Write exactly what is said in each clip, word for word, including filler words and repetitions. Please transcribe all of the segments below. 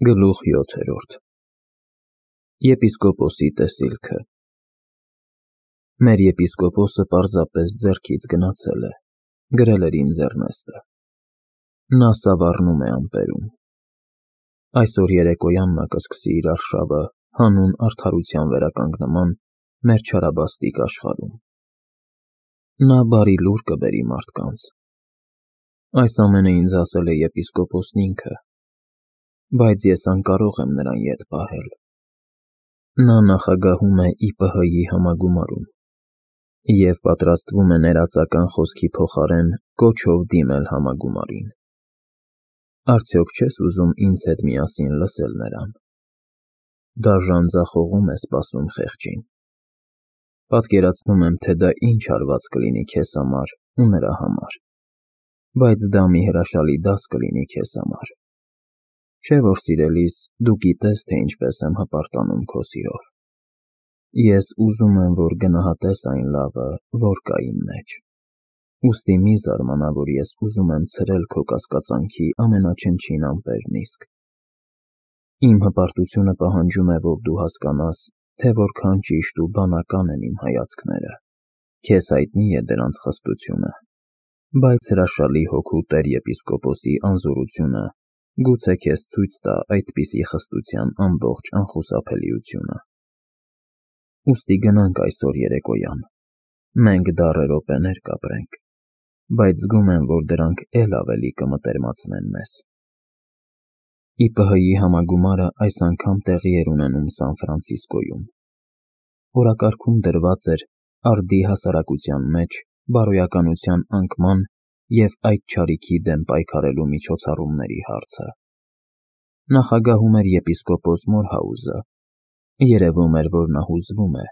Գլուխ յոթերորդ Եպիսկոպոսի տեսիլքը Մեր եպիսկոպոսը պարզապես ձեռքից գնացել է, գրել էր ինձ Էրնեստը։ Նա սավառնում է ամպերում։ Այսօր երեկոյան նա կսկսի իր արշավը հանուն արդարության վերականգնման մեր չարաբաստիկ աշխարհում։ Նա բարի լուր կբերի մարդկանց։ Այս ամենը ինձ ասել է եպիսկոպոսն ինքը, բայց ես անկարող եմ նրան ետ պահել։ Նա նախագահում է ի պը հը-ի համագումարում և պատրաստվում է ներածական խոսքի փոխարեն կոչով դիմել համագումարին։ Արդյոք չես ուզում ինձ հետ միասին լսել նրան։ Դաժան ձախողում է սպասում խեղճին։ Պատկերացնում եմ, թե դա ինչ հարված կլինի քեզ համար ու նրա համար, բայց դա մի հրաշալի դաս կլինի քեզ համար։ Չէ՞ որ, սիրելիս, դու գիտես, թե ինչպես եմ հպարտանում քո սիրով։ Ես ուզում եմ, որ գնահատես այն լավը, որ կա իմ մեջ։ Ուստի մի զարմանա, որ ես ուզում եմ ցրել քո կասկածանքի ամենաչնչին ամպերն իսկ։ Իմ հպարտությունը պահանջում է, որ դու հասկանաս, թե որքան ճիշտ ու բանական են իմ հայացքները։ Քեզ հայտնի է դրանց խստությունը, բայց հրաշալի հոգու տեր-եպիսկոպոսի անզորությունը գուցե քեզ ցույց տա այդպիսի խստության ամբողջ անխուսափելիությունը։ Ուստի գնանք այսօր երեկոյան, մենք դառը րոպեներ կապրենք, բայց զգում եմ, որ դրանք էլ ավելի կմտերմացնեն մեզ։ Ի պը հը-ի համագումարը այս անգամ տեղի էր ունենում Սան Ֆրանցիսկոյում։ Օրակարգում դրված էր արդի հասարակության մեջ բարոյականության անկման և այդ չարիքի դեմ պայքարելու միջոցառումների հարցը։ Նախագահում էր եպիսկոպոս Մորհաուզը։ Երևում էր, որ նա հուզվում է։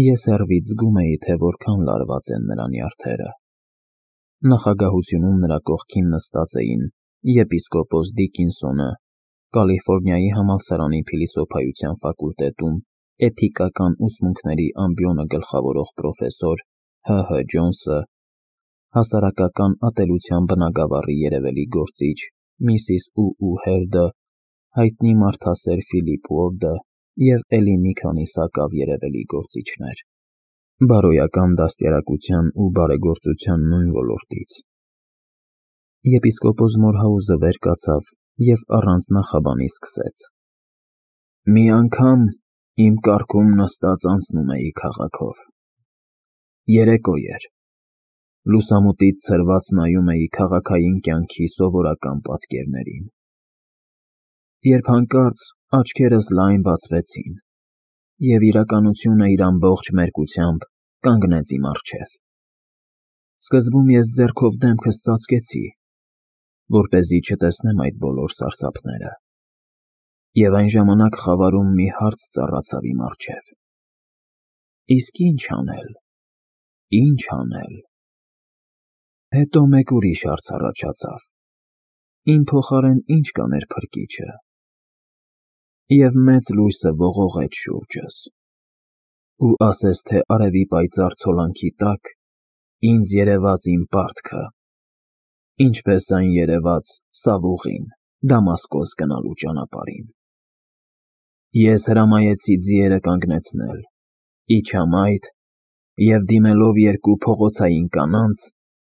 Ես հեռվից զգում էի, թե որքան լարված են նրա նյարդերը։ Նախագահությունում նրա կողքին նստած էին եպիսկոպոս Դիկինսոնը, Կալիֆոռնիայի համալսարանի փիլիսոփայության ֆակուլտետում էթիկական ուսմունքների ամբիոնը գլխավորող պրոֆեսոր Հ Հ Ջոնսը, հասարակական ատելության բնագավառի երևելի գործիչ Միսիս Ու Ու Հերդը, հայտնի մարդասեր Ֆիլիպ Ուորդը և էլի մի քանի սակավ երևելի գործիչներ, բարոյական դաստիարակության ու բարեգործության նույն ոլորտից։ Եպիսկոպոս Մորհաուզը վեր կացավ և առանց նախաբանի սկսեց. «Մի անգամ իմ կառքում նստած անցնում էի քաղաքով։ Երեկո էր։ Լուսամուտից ցրված նայում էի քաղաքային կյանքի սովորական պատկերներին, երբ հանկարծ աչքերս լայն բացվեցին, և իրականությունը իր ամբողջ մերկությամբ կանգնեց իմ առջև։ Սկզբում ես ձեռքով դեմքս ծածկեցի, որպեսզի չտեսնեմ այդ բոլոր սարսափները, և այն ժամանակ խավարում մի հարց ծառացավ իմ առջև. իսկ ի՞նչ անել, ի՞նչ անել։ Հետո մեկ ուրիշ հարց առաջացավ. իմ փոխարեն ի՞նչ կաներ Փրկիչը։ Եվ մեծ լույսը ողողեց շուրջս, ու ասես թե արևի պայծառ ցոլանքի տակ ինձ երևաց իմ պարտքը, ինչպես այն երևաց Սավուղին Դամասկոս գնալու ճանապարհին։ Ես հրամայեցի ձիերը կանգնեցնել, իջա մայթ և դիմելով երկու փողոցային կանանց,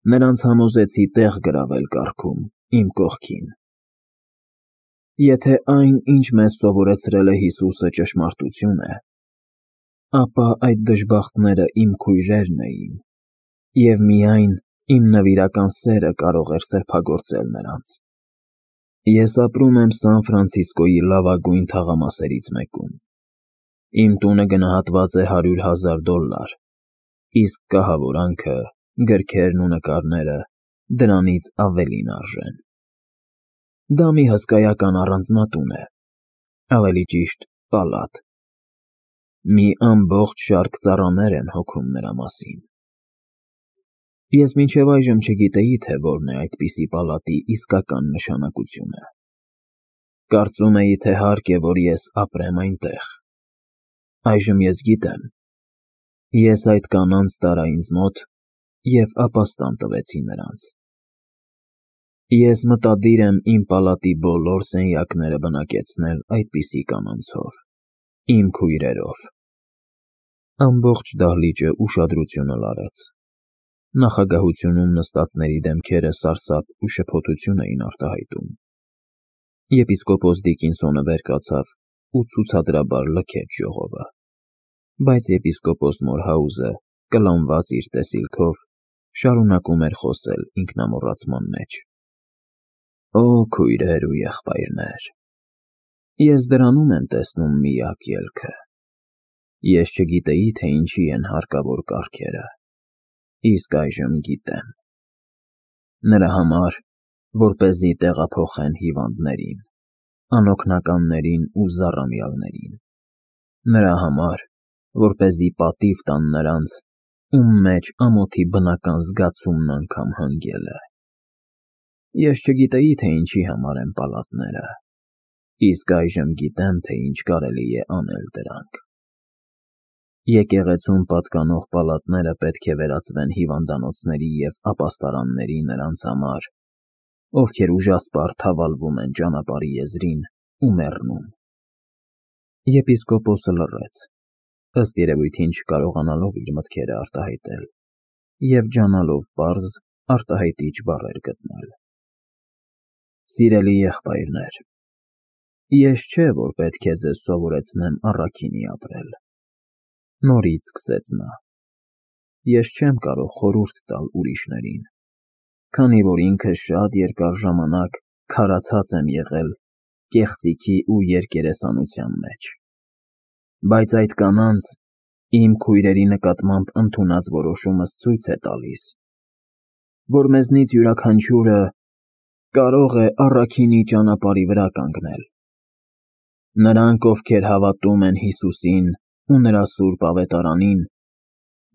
նրանց համոզեցի տեղ գրավել կառքում իմ կողքին։ Եթե այն, ինչ մեզ սովորեցրել է Հիսուսը, ճշմարտություն է, ապա այդ դժբախտները իմ քույրերն էին, և միայն իմ նվիրական սերը կարող էր սրբագործել նրանց։ Ես ապրում եմ Սան Ֆրանցիսկոյի լավագույն թաղամասերից մեկում։ Իմ տունը գնահատված է հարյուր հազար դոլլար, իսկ կահավորանքը, գրքերն ու նկարները դրանից ավելին արժեն։ Դա մի հսկայական առանձնատուն է, ավելի ճիշտ պալատ։ Մի ամբողջ շարք ծառաներ են հոգում նրա մասին։ Ես մինչև այժմ չգիտեի, թե որն է այդպիսի պալատի իսկական նշանակությունը։ Կարծում էի, թե հարկ է, որ ես ապրեմ այնտեղ։ Այժմ ես գիտեմ։ Ես այդ կանանց տարա ինձ մոտ և ապաստան տվեցի նրանց։ Ես մտադիր եմ իմ պալատի բոլոր սենյակները բնակեցնել այդպիսի կանանցով, իմ քույրերով։ Ամբողջ դահլիճը ուշադրությունը լարեց։ Նախագահությունում նստածների դեմքերը սարսափ ու շփոթություն էին արտահայտում։ Եպիսկոպոս Դիկինսոնը վեր կացավ ու ցուցադրաբար լքեց ժողովը, բայց եպիսկոպոս Մորհաուզը, կլանված իր տեսիլքով, շարունակում էր խոսել ինքնամոռացման մեջ. Օ քույրեր ու եղբայրներ, ես դրանում եմ տեսնում միակ ելքը։ Ես չգիտեի, թե ինչի են հարկավոր կարգերը, իսկ այժմ գիտեմ։ Նրա համար, որպեսզի տեղափոխեն հիվանդներին, անօգնականներին ու զառամյալներին, նրա համար, որպեսզի պատիվ տան նրանց, ում մեջ ամոթի բնական զգացումն անգամ հանգել է։ Ես չգիտեի, թե ինչի համար են պալատները, իսկ այժմ գիտեմ, թե ինչ կարելի է անել դրանք։ Եկեղեցուն պատկանող պալատները պետք է վերածվեն հիվանդանոցների և ապաստարանների նրանց համար, ովքեր ուժասպառ թավալվում են ճանապարհի եզրին ու մեռնում։ Եպիսկոպոսը լռեց, ըստ երևույթին չկարողանալով իր մտքերը արտահայտել և ջանալով պարզ, արտահայտիչ բառեր գտնել։ Սիրելի եղբայրներ, ես չէ, որ պետք է ձեզ սովորեցնեմ առաքինի ապրել։ Նորից սկսեց նա. Ես չեմ կարող խորհուրդ տալ ուրիշներին, քանի որ ինքս շատ երկար ժամանակ քարացած եմ եղել կեղծիքի ու երկերեսանության մեջ։ Բայց այդ կանանց, իմ քույրերի նկատմամբ ընդունած որոշումս ցույց է տալիս, որ մեզնից յուրաքանչյուրը կարող է առաքինի ճանապարհի վրա կանգնել։ Նրանք, ովքեր հավատում են Հիսուսին ու նրա սուրբ ավետարանին,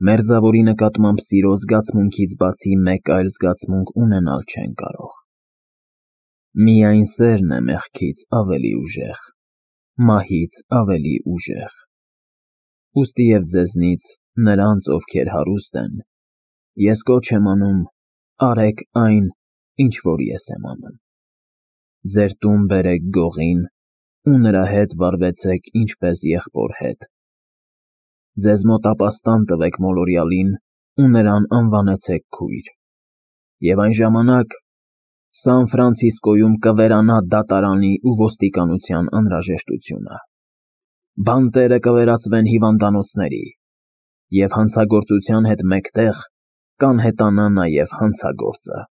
մերձավորի նկատմամբ սիրո զգացմունքից բացի մեկ այլ զգացմունք ունենալ չեն կարող։ Միայն սերն է մեղքից ավելի ուժեղ, մահից ավելի ուժեղ։ Ուստի և ձեզնից, նրանց, ովքեր հարուստ են, ես կոչ եմ անում, արեք այն, ինչ որ ես եմ անում։ Ձեր տուն բերեք գողին ու նրա հետ վարվեցեք ինչպես եղբոր հետ։ Ձեզ մոտ ապաստան տվեք մոլորյալին ու նրան անվանեցեք քույր։ Եվ այն ժամանակ Սան Ֆրանցիսկոյում կվերանա դատարանի ու ոստիկանության անհրաժեշտությունը։ Բանտերը կվերածվեն հիվանդանոցների, և հանցագործության հետ մեկտեղ կանհետանա նաև հանցագործը։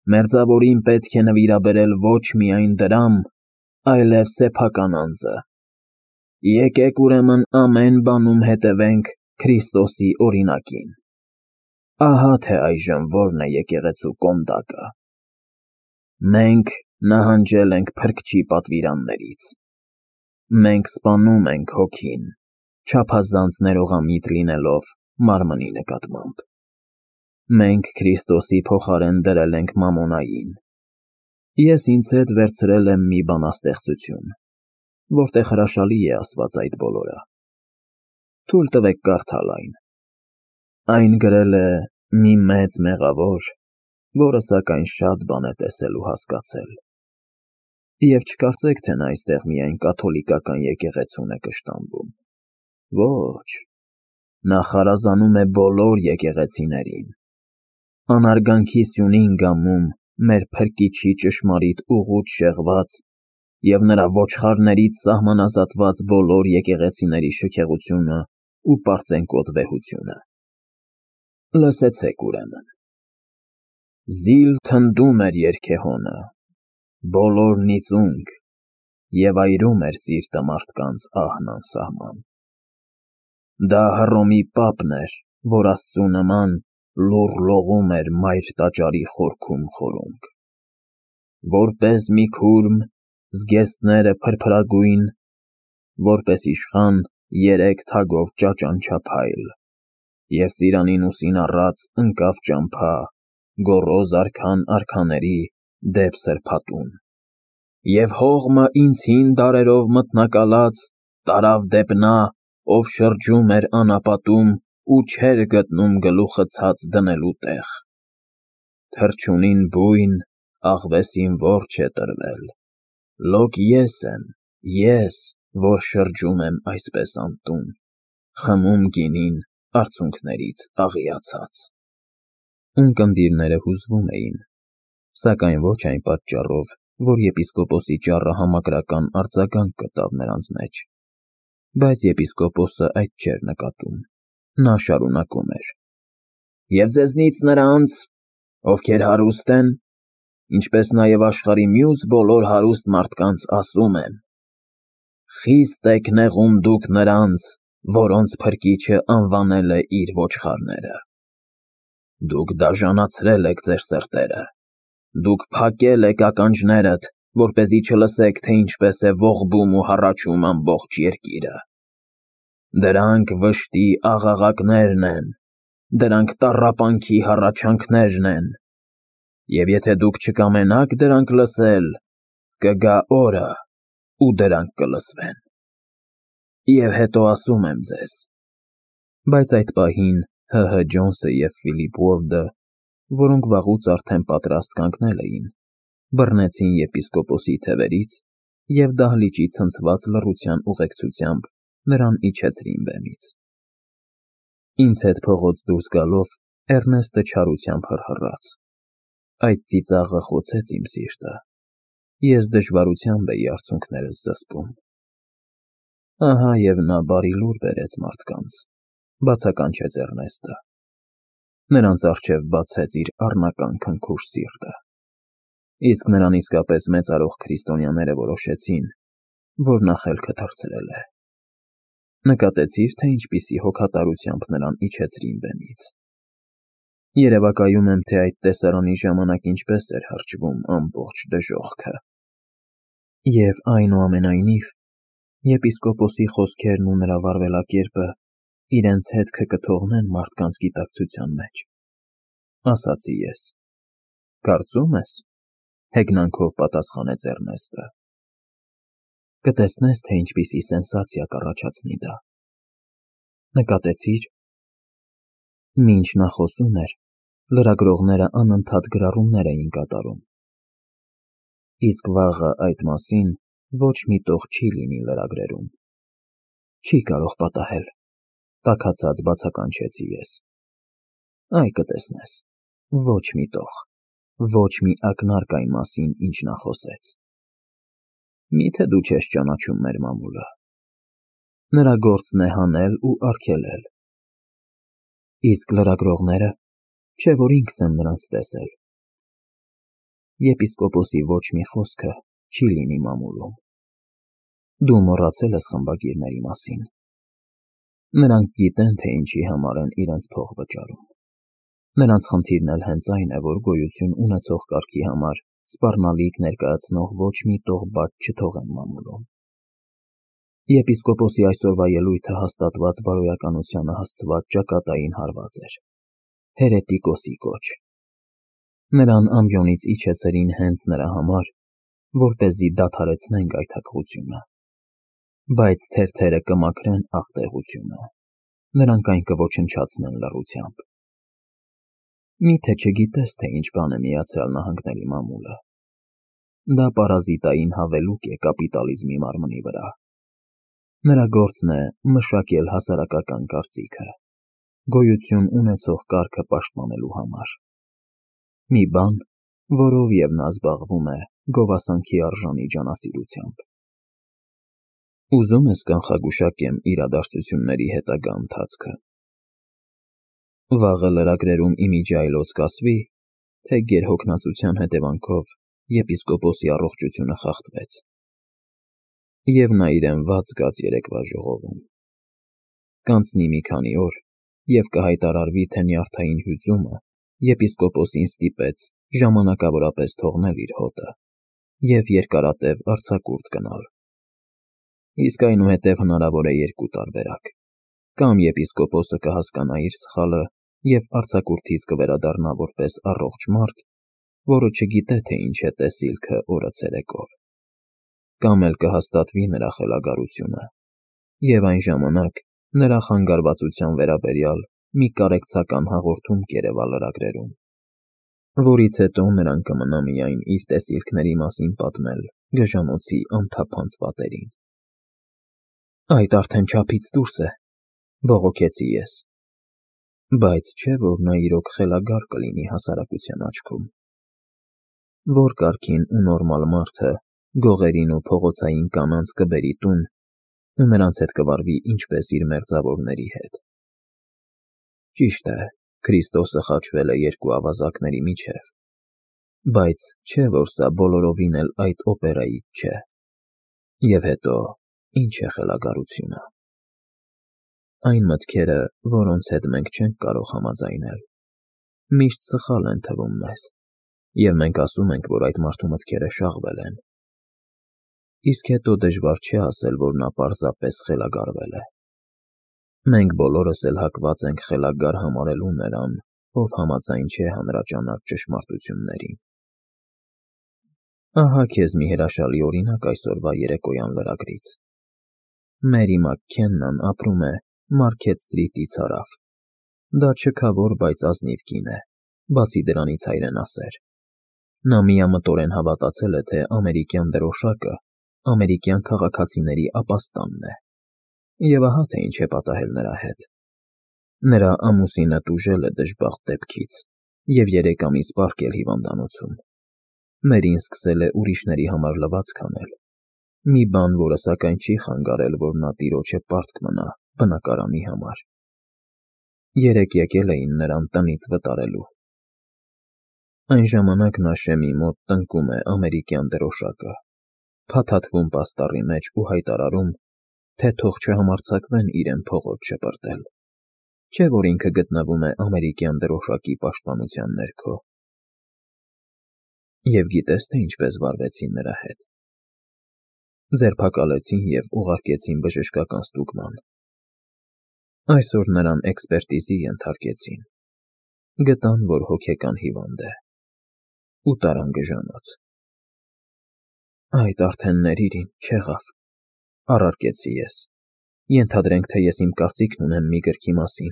Մերձավորին պետք է նվիրաբերել ոչ միայն դրամ, այլև սեփական անձը։ Եկեք ուրեմն ամեն բանում հետևենք Քրիստոսի օրինակին։ Ահա թե այժմ որն է եկեղեցու կոնդակը։ Մենք նահանջել ենք Փրկչի պատվիրաններից։ Մենք սպանում ենք հոգին, չափազանց ներողամիտ լինելով մարմնի նկատմամբ։ Մենք Քրիստոսի փոխարեն դրել ենք Մամոնային։ Ես ինձ հետ վերցրել եմ մի բանաստեղծություն, որտեղ հրաշալի է ասված այդ բոլորը։ Թույլ տվեք կարդալ այն։ Այն գրել է մի մեծ մեղավոր, որը սակայն շատ բան է տեսել ու հասկացել։ Եվ չկարծեք, թե նա այստեղ միայն կաթոլիկական եկեղեցուն է կշտամբում։ Ոչ, նա խարազանում է բոլոր եկեղեցիներին։ Անարգանքի սյունին գամում մեր Փրկիչի ճշմարիտ ուղուց շեղված և նրա ոչխարներից սահմանազատված բոլոր եկեղեցիների շքեղությունը ու պարծենկոտ վեհությունը։ Լսեցեք ուրեմն. Զիլ թնդում էր երգեհոնը, բոլորն ի ծունկ, և այրում էր սիրտը մարդկանց ահն անսահման։ Դա Հռոմի պապն էր, որ Աստծու նման լուռ լողում էր մայր տաճարի խորքում խորունգ։ Որպես մի քուրմ, զգեստները փրփրագույն, որպես իշխան երեք թագով ճաճանչափայլ, և ծիրանին ուսին առած ընկավ ճամփա, գոռոզ արքան արքաների դեպ սրբատուն։ Եվ հողմը ինձ հին դարերով մթնակալած տարավ դեպ նա, ով շրջում էր անապատում ու չէր գտնում գլուխը ցած դնելու տեղ։ Թռչունին բույն, աղվեսին որջը է տրվել, լոկ ես եմ, ես, որ շրջում եմ այսպես անտուն, խմում գինին արցունքներից աղիացած։ Ունկնդիրները հուզվում էին, սակայն ոչ այն պատճառով, որ եպիսկոպոսի ճառը համակրական արձագանք գտավ նրանց մեջ, բայց եպիսկոպոսը այդ չէր նկատում, նա շարունակում էր. Եվ ձեզնից նրանց, ովքեր հարուստ են, ինչպես նաև աշխարհի մյուս բոլոր հարուստ մարդկանց ասում եմ. խիստ եք նեղում դուք նրանց, որոնց փրկիչը անվանել է իր ոչխարները։ Դուք դաժանացրել եք ձեր սրտերը, դուք փակել եք ականջներդ, որպեսզի չլսեք, թե ինչպես է ողբում ու հառաչում ամբողջ երկիրը։ Դրանք վշտի աղաղակներն են, դրանք տառապանքի հառաչանքներն են, և եթե դուք չկամենաք դրանք լսել, կգա օրը, ու դրանք կլսվեն։ Եվ հետո ասում եմ ձեզ… Բայց այդ պահին ՀՀ Ջոնսը և Ֆիլիպ Ուորդը, որոնք վաղուց արդեն պատրաստ կանգնել էին, բռնեցին եպիսկոպոսի թևերից և դահլիճի ցնցված լռության ուղեկցությամբ նրան իջեցրին բեմից։ Ինձ հետ փողոց դուրս գալով Էռնեստը չարությամբ հռհռաց. այդ ծիծաղը խոցեց իմ սիրտը, ես դժվարությամբ էի արցունքներս զսպում։ Ահա և նա բարի լուր բերեց մարդկանց, բացականչեց Էռնեստը, նրանց առջև բացեց իր առնական քնքուշ սիրտը, իսկ նրան իսկապես մեծարող քրիստոնյաները որոշեցին, որ նա խելքը թռցրել է։ Նկատեցի՞ր, թե ինչպիսի հոգատարությամբ նրան իջեցրին բեմից։ Երևակայում եմ, թե այդ տեսարանի ժամանակ ինչպես էր հրճվում ամբողջ դժոխքը։ Եվ այնուամենայնիվ, եպիսկոպոսի խոսքերն ու նրա վարվելակերպը իրենց հետքը կթողնեն մարդկանց գիտակցության մեջ, ասացի ես։ Կարծում ես, հեգնանքով պատասխանեց Էռնեստը։ Կտեսնես, թե ինչպիսի սենսացիա կառաջացնի դա։ Նկատեցի՞ր։ Մինչ նա խոսում էր, լրագրողները անընդհատ գրառումներ էին կատարում։ Իսկ վաղը այդ մասին ոչ մի տող չի լինի լրագրերում։ Չի կարող պատահել, տաքացած բացականչեցի ես։ Այ կտեսնես, ոչ մի տող, ոչ մի ակնարկ այն մասին, ինչ նա խոսեց։ Մի՞թե դու չես ճանաչում մեր մամուլը։ Նրա գործն է հանել ու արգելել։ Իսկ լրագրողները, չէ՞ որ ինքս եմ նրանց տեսել։ Եպիսկոպոսի ոչ մի խոսքը չի լինի մամուլում։ Դու մոռացել ես խմբագիրների մասին։ Նրանք գիտեն, թե ինչի համար են իրենց փող վճարում։ Նրանց խնդիրն էլ հենց այն է, որ գոյություն ունեցող կարգի համար սպառնալիք ներկայացնող ոչ մի տող բաց չթողեն մամուլում։ Եպիսկոպոսի այսօրվա ելույթը հաստատված բարոյականությանը հասցված ճակատային հարված էր, հերետիկոսի կոչ։ Նրան ամբիոնից իջեցրին հենց նրա համար, որպեսզի դադարեցնեն գայթակղությունը։ Բայց թերթերը կմաքրեն աղտեղությունը, նրանք այն կոչնչացնեն լռությամբ։ Մի՞թե չգիտես, թե ինչ բան է Միացյալ Նահանգների մամուլը։ Դա պարազիտային հավելուկ է կապիտալիզմի մարմնի վրա։ Նրա գործն է մշակել հասարակական կարծիքը, գոյություն ունեցող կարգը պաշտպանելու համար։ Մի բան, որով և նա զբաղվում է գովասանքի արժանի ջանասիրությամբ։ Ուզում ես կանխագուշակեմ իրադարձությունների հետագա ընթացքը։ Վաղը լրագրերում իմիջի այլոց կասվի, թե գերհոգնածության հետևանքով եպիսկոպոսի առողջությունը խախտվեց։ Եվ նա իրեն ված զգաց երեկվա ժողովում։ Կանցնի մի քանի օր, և կհայտարարվի, թե նյարդային հյուծումը եպիսկոպոսին ստիպեց ժամանակավորապես թողնել իր հոտը և երկարատև արձակուրդ գնալ։ Իսկ այնուհետև հնարավոր է երկու տարբերակ. կամ եպիսկոպոսը կհասկանա իր սխալը և արձակուրդից կվերադառնա որպես առողջ մարդ, որը չգիտե, թե ինչ է տեսիլքը օրը ցերեկով, կամ էլ կհաստատվի նրա խելագարությունը, և այն ժամանակ նրա խանգարվածության վերաբերյալ մի կարեկցական հաղորդում կերևա լրագրերում։ որից հետո նրան կմնա միայն իր տեսիլքների մասին պատմել գժանոցի անթափանց պատերին։ Այդ արդեն չափից դուրս է, բողոքեցի ես, բայց չէ՞ որ նա իրոք խելագար կլինի հասարակության աչքում։ Որ կարգին ու նորմալ մարդը գողերին ու փողոցային կանանց կբերի տուն ու նրանց հետ կվարվի ինչպես իր մերձավորների հետ։ Ճիշտ է, Քրիստոսը խաչվել է երկու ավազակների միջև, բայց չէ՞ որ սա բոլորովին էլ այդ օպերայից չէ։ Եվ հետո, ինչ է խելագարությունը։ Այն մտքերը, որոնց հետ մենք չենք կարող համաձայնել, միշտ սխալ են թվում մեզ, և մենք ասում ենք, որ այդ մարդու մտքերը շաղվել են։ Իսկ հետո դժվար չէ ասել, որ նա պարզապես խելագարվել է։ Մենք բոլորս էլ հակված ենք խելագար համարելու նրան, ով համաձայն չէ հանրաճանաչ ճշմարտություններին։ Ահա քեզ մի հրաշալի օրինակ այսօրվա երեկոյան լրագրից։ Մերի Մաքքեննան ապրում է Մարքեթ Սթրիթից հարավ։ Դա չքավոր, բայց ազնիվ կին է, բացի դրանից հայրենասեր։ Նա միամտորեն հավատացել է, թե ամերիկյան դրոշակը ամերիկյան քաղաքացիների ապաստանն է։ Եվ ահա թե ինչ է պատահել նրա հետ։ Նրա ամուսինը տուժել է դժբախտ դեպքից և երեք ամիս պառկել հիվանդանոցում։ Մերին սկսել է ուրիշների համար լվացք անել, մի բան, որը սակայն չի խանգարել, որ նա տիրոջը պարտք մնա բնակարանի համար։ Երեկ եկել էին նրան տնից վտարելու։ Այն ժամանակ նա Շեմի մոտ տնկում է ամերիկյան դրոշակը, փաթաթվում պաստառի մեջ ու հայտարարում, թե թող չհամարձակվեն իրեն փողոց շպրտել, չէ՞ որ ինքը գտնվում է ամերիկյան դրոշակի պաշտպանության ներքո։ Եվ գիտե՞ս, թե ինչպես վարվեցին նրա հետ։ Ձերբակալեցին և ուղարկեցին բժշկական ստուգման։ Այսօր նրան էքսպերտիզի ենթարկեցին։ Գտան, որ հոգեկան հիվանդ է, ու տարան գժանոց։ Այդ արդեն ներիր ինձ, չեղավ, առարկեցի ես։ Ենթադրենք, թե ես իմ կարծիքն ունեմ մի գրքի մասին,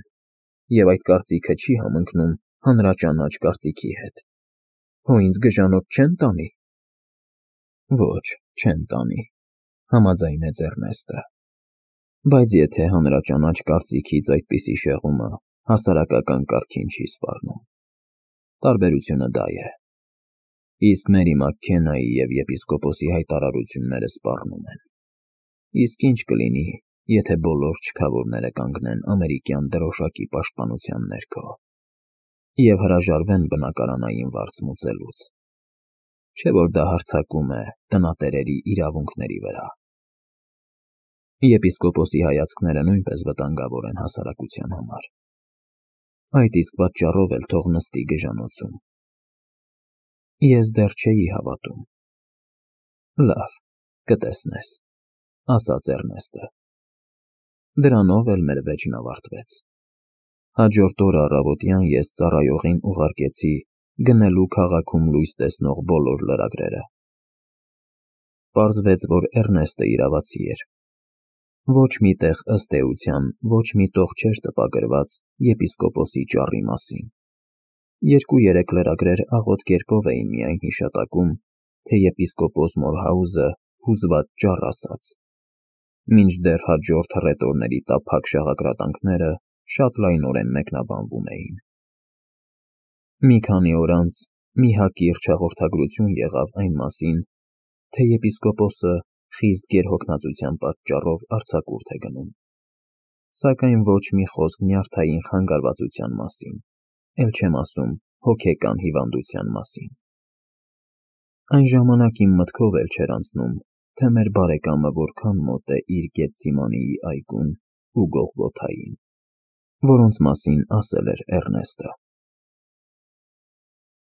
և այդ կարծիքը չի համընկնում հանրաճանաչ կարծիքի հետ։ Հո ինձ գժանոց չե՞ն տանի։ Ոչ, չեն տանի, համաձայնեց Էռնեստը։ Բայց եթե հանրաճանաչ կարծիքից այդպիսի շեղումը հասարակական կարգին չի սպառնում։ Տարբերությունը դա է։ Իսկ Մերի Մաքքեննայի և եպիսկոպոսի հայտարարությունները սպառնում են։ Իսկ ինչ կլինի, եթե բոլոր չքավորները կանգնեն ամերիկյան դրոշակի պաշտպանության ներքո և հրաժարվեն բնակարանային վարձ մուծելուց։ Չէ՞ որ դա հարձակում է տնատերերի իրավունքների վրա։ Եպիսկոպոսի հայացքները նույնպես վտանգավոր են հասարակության համար։ Այդ իսկ պատճառով էլ թող նստի գժանոցում։ Ես դեռ չէի հավատում։ Լավ, կտեսնես, ասաց Էռնեստը։ Դրանով էլ մեր վեճն ավարտվեց։ Հաջորդ օրը առավոտյան ես ծառայողին ուղարկեցի գնելու քաղաքում լույս տեսնող բոլոր լրագրերը։ Պարզվեց, որ Էռնեստը իրավացի էր։ Ոչ մի տեղ ըստ էության ոչ մի տող չէր տպագրված եպիսկոպոսի ճառի մասին։ Երկու-երեք լրագրեր աղոտ կերպով էին միայն հիշատակում, թե եպիսկոպոս Մորհաուզը հուզված ճառ ասաց, մինչդեռ հաջորդ հռետորների տափակ շաղակրատանքները շատ լայնորեն մեկնաբանվում էին։ Մի քանի օր անց մի հակիրճ հաղորդագրություն եղավ այն մասին, թե եպիսկոպոսը խիստ գերհոգնածության պատճառով արձակուրդ է գնում, սակայն ոչ մի խոսք նյարդային խանգարվածության մասին, էլ չեմ ասում հոգեկան հիվանդության մասին։ Այն ժամանակ իմ մտքով էլ չէր անցնում, թե մեր բարեկամը որքան մոտ է իր Գեթսիմանիի այգուն ու Գողգոթային, որոնց մասին ասել էր Էռնեստը։